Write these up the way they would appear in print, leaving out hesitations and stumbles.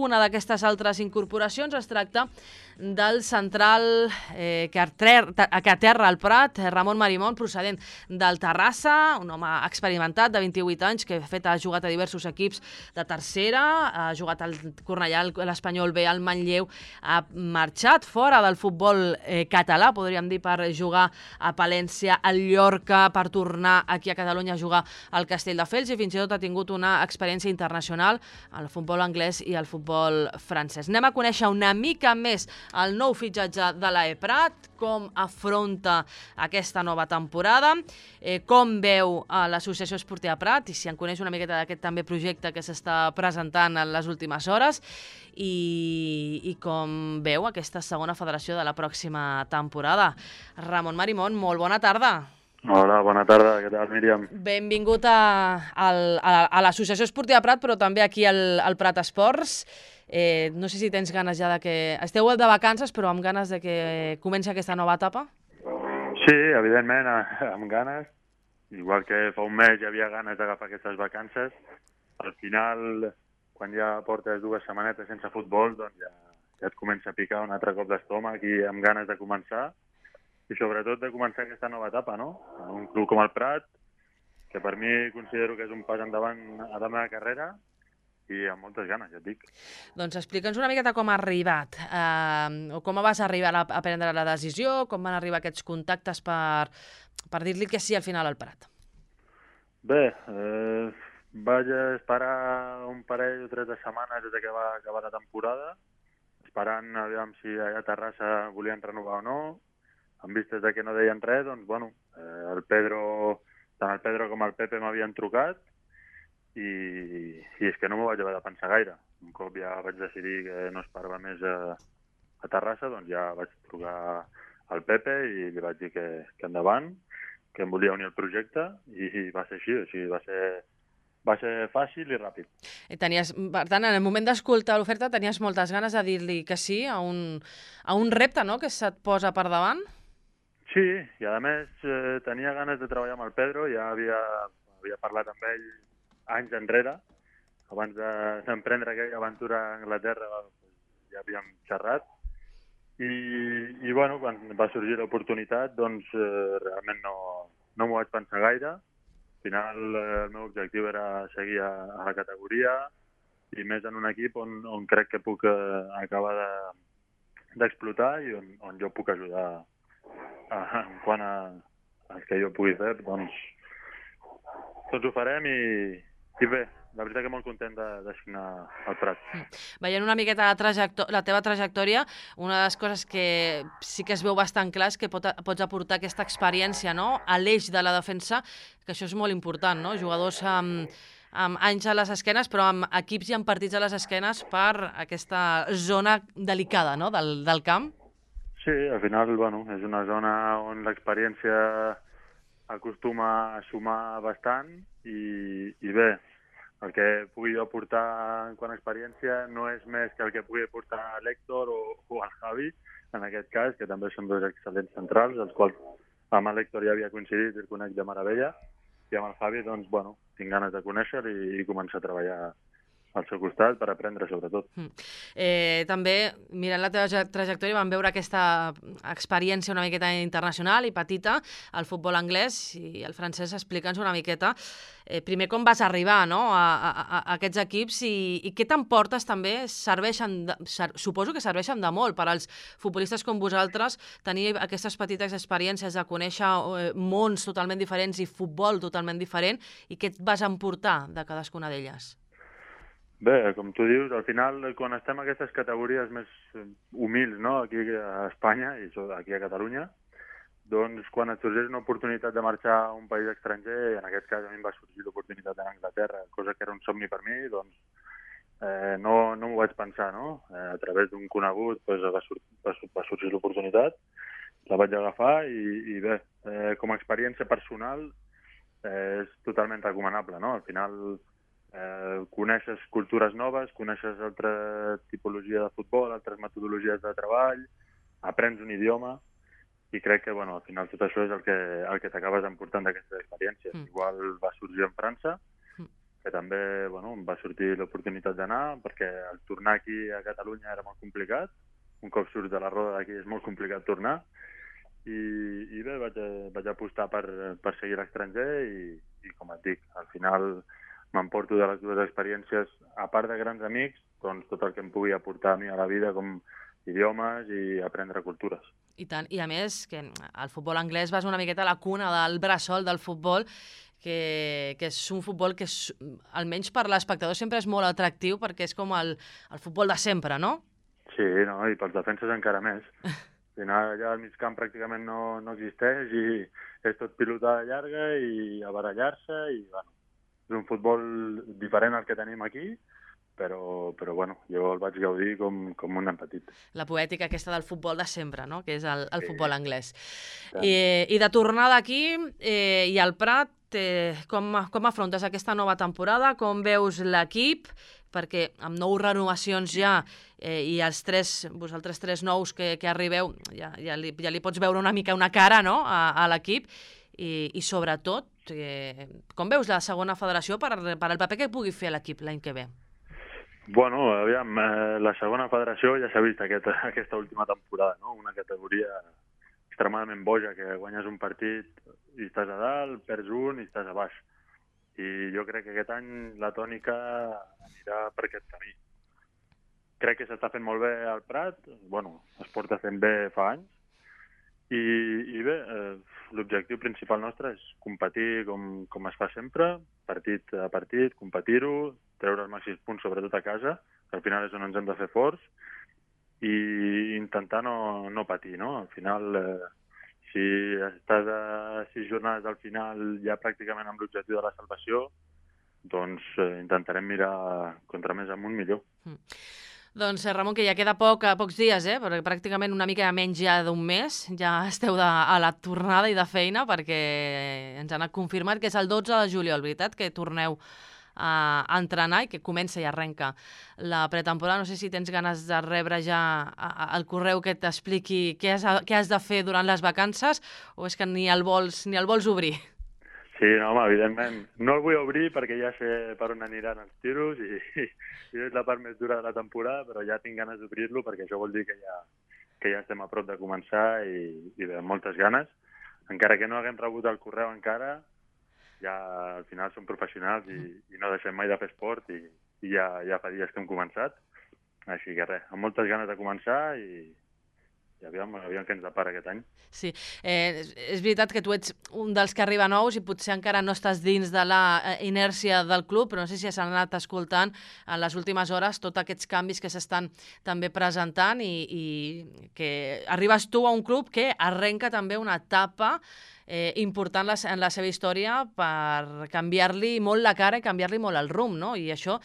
una d'aquestes altres incorporacions es tracta del central que aterra al Prat, Ramon Marimon, procedent del Terrassa, un home experimentat de 28 anys que ha jugat a diversos equips de tercera, ha jugat al Cornellà, l'Espanyol B, al Manlleu, ha marxat fora del futbol català, podríem dir, per jugar a Palència, al Llorca, per tornar aquí a Catalunya a jugar al Castelldefels i fins i tot ha tingut una experiència internacional al futbol anglès i al futbol francès. Anem a conèixer una mica més el nou fitxatge de l'AE Prat, com afronta aquesta nova temporada, com veu l'Associació Esportiva Prat i si en coneix una miqueta d'aquest també projecte que s'està presentant en les últimes hores i com veu aquesta segona federació de la pròxima temporada. Ramon Marimon, molt bona tarda. Hola, bona tarda, què tal, Míriam? Benvingut a l'Associació Esportiva Prat, però també aquí al Prat Esports. No sé si tens ganes ja de que... Esteu de vacances, però amb ganes de que comenci aquesta nova etapa? Sí, evidentment, amb ganes. Igual que fa un mes hi havia ganes d'agafar aquestes vacances. Al final, quan ja portes 2 setmanetes sense futbol, doncs ja et comença a picar un altre cop d'estómac i amb ganes de començar. I sobretot de començar aquesta nova etapa, no? Un club com el Prat, que per mi considero que és un pas endavant a la meva carrera, i amb moltes ganes, ja et dic. Doncs explica'ns una miqueta com ha arribat, o com vas arribar a prendre la decisió, com van arribar aquests contactes per dir-li que sí al final al Prat. Bé, vaig esperar un parell o 3 de setmanes des que va acabar la temporada, esperant aviam si allà a Terrassa volien renovar o no. En vistes de que no deien res, doncs, bueno, tant el Pedro com el Pepe m'havien trucat, i és que no m'ho vaig haver de pensar gaire. Un cop ja vaig decidir que no esperava més a Terrassa, doncs ja vaig trucar al Pepe i li vaig dir que endavant, que em volia unir al projecte, i va ser així, o sigui, va ser fàcil i ràpid. Per tant, en el moment d'escoltar l'oferta tenies moltes ganes de dir-li que sí a un repte, no?, que se't posa per davant? Sí, i a més tenia ganes de treballar amb el Pedro, ja havia parlat amb ell anys enrere, abans d'emprendre aquella aventura a Anglaterra ja havíem xerrat, i bueno, quan va sorgir l'oportunitat, doncs realment no m'ho vaig pensar gaire. Al final el meu objectiu era seguir a la categoria i més en un equip on crec que puc acabar d'explotar i on jo puc ajudar en quant a que jo pugui fer, doncs tots ho farem i bé, la veritat que molt content de signar al Prat. Veient una miqueta la teva trajectòria, una de les coses que sí que es veu bastant clar és que pots aportar aquesta experiència, no?, a l'eix de la defensa, que això és molt important, no?, jugadors amb anys a les esquenes, però amb equips i amb partits a les esquenes per aquesta zona delicada, no?, del camp. Sí, al final, bueno, és una zona on l'experiència acostuma a sumar bastant i bé, el que pugui jo aportar en quant a experiència no és més que el que pugui aportar l'Héctor o el Javi, en aquest cas, que també són 2 excel·lents centrals, els quals amb l'Héctor ja havia coincidit i el conec de meravella, i amb el Javi, doncs, bueno, tinc ganes de conèixer i començar a treballar al seu costat per aprendre, sobretot. També, mirant la teva trajectòria, vam veure aquesta experiència una miqueta internacional i petita al futbol anglès i el francès. Explica'ns una miqueta, primer, com vas arribar, no?, a aquests equips i què t'emportes també. Suposo que serveixen de molt per als futbolistes com vosaltres tenir aquestes petites experiències de conèixer mons totalment diferents i futbol totalment diferent, i què et vas emportar de cadascuna d'elles? Bé, com tu dius, al final, quan estem en aquestes categories més humils, no?, aquí a Espanya i aquí a Catalunya, doncs quan et sorgeix una oportunitat de marxar a un país estranger, en aquest cas a mi em va sorgir l'oportunitat en Anglaterra, cosa que era un somni per mi, doncs no m'ho vaig pensar, no? A través d'un conegut va sorgir l'oportunitat, la vaig agafar i bé, com a experiència personal és totalment recomanable, no? Al final coneixes cultures noves, coneixes altra tipologia de futbol, altres metodologies de treball, aprens un idioma i crec que al final tot això és el que t'acabes emportant d'aquestes experiències. Igual va sorgir en França que també em va sortir l'oportunitat d'anar, perquè el tornar aquí a Catalunya era molt complicat. Un cop surts de la roda d'aquí és molt complicat tornar. I bé, vaig apostar per seguir a l'estranger i, com et dic, al final m'emporto de les dues experiències, a part de grans amics, doncs tot el que em pugui aportar a mi a la vida, com idiomes i aprendre cultures. I tant, i a més, que el futbol anglès va ser una miqueta la cuna del bressol del futbol, que és un futbol que, almenys per l'espectador, sempre és molt atractiu, perquè és com el futbol de sempre, no? Sí, no? I pels defenses encara més. Al final allà al mig camp pràcticament no existeix i és tot pilotada llarga i a barallar-se i, bueno, és un futbol diferent al que tenim aquí, però jo el vaig gaudir com un nen petit. La poètica aquesta del futbol de sempre, no? Que és el futbol anglès. Sí. I de tornada aquí i al Prat, com afrontes aquesta nova temporada? Com veus l'equip? Perquè amb 9 renovacions ja i vosaltres 3 nous que arribeu, ja li pots veure una mica una cara, no? a l'equip i sobretot, com veus la segona federació per al paper que pugui fer l'equip l'any que ve? Bueno, aviam, la segona federació ja s'ha vist aquesta última temporada, no? Una categoria extremadament boja, que guanyes un partit i estàs a dalt, perds un i estàs a baix. I jo crec que aquest any la tònica anirà per aquest camí. Crec que s'està fent molt bé al Prat, es porta fent bé fa anys, i bé, l'objectiu principal nostre és competir com es fa sempre, partit a partit, competir-ho, treure els màxims punts, sobretot a casa, que al final és on ens hem de fer forts, i intentar no patir, no? Al final, si estàs a 6 jornades al final ja pràcticament amb l'objectiu de la salvació, doncs intentarem mirar contra més amunt millor. Doncs, Ramon, que ja queda pocs dies, perquè pràcticament una mica menys ja d'un mes, ja esteu a la tornada i de feina, perquè ens han confirmat que és el 12 de juliol, veritat, que torneu a entrenar i que comença i arrenca la pretemporada. No sé si tens ganes de rebre ja el correu que t'expliqui què has de fer durant les vacances o és que ni el vols obrir? Sí, no, home, evidentment. No el vull obrir perquè ja sé per on aniran els tiros i és la part més dura de la temporada, però ja tinc ganes d'obrir-lo perquè això vol dir que ja estem a prop de començar i bé, amb moltes ganes. Encara que no haguem rebut el correu encara, ja al final som professionals i no deixem mai de fer esport i ja fa dies que hem començat. Així que res, amb moltes ganes de començar i aviam què ens depara aquest any. Sí, és veritat que tu ets un dels que arriba nous i potser encara no estàs dins de la inèrcia del club, però no sé si s'han anat escoltant en les últimes hores tots aquests canvis que s'estan també presentant i que arribes tu a un club que arrenca també una etapa important en la seva història per canviar-li molt la cara i canviar-li molt el rumb, no? I això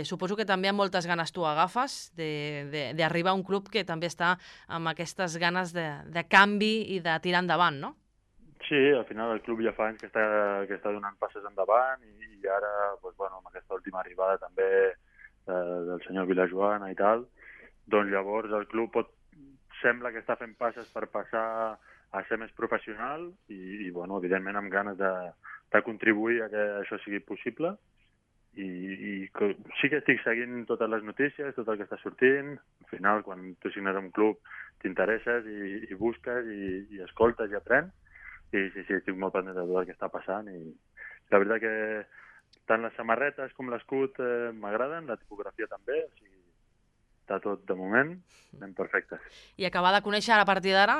suposo que també amb moltes ganes tu agafes d'arribar a un club que també està amb aquestes ganes de canvi i de tirar endavant, no? Sí, al final el club ja fa anys que està donant passes endavant i ara, amb aquesta última arribada també del senyor Vilajoana i tal, doncs llavors el club sembla que està fent passes per passar a ser més professional i evidentment amb ganes de contribuir a que això sigui possible. I sí que estic seguint totes les notícies, tot el que està sortint. Al final, quan tu signes un club, t'interesses i busques i escoltes i aprens. I sí, estic molt pendent de tot el que està passant. I la veritat que tant les samarretes com l'escut m'agraden, la tipografia també, o sigui, està tot, de moment, anem perfectes. I acabar de conèixer, a partir d'ara,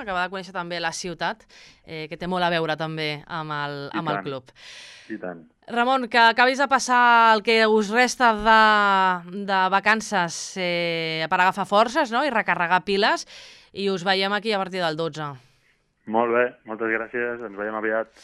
també la ciutat, que té molt a veure també amb el club. I tant. Ramon, que acabis de passar el que us resta de vacances per agafar forces, no?, i recarregar piles, i us veiem aquí a partir del 12. Molt bé, moltes gràcies, ens veiem aviat.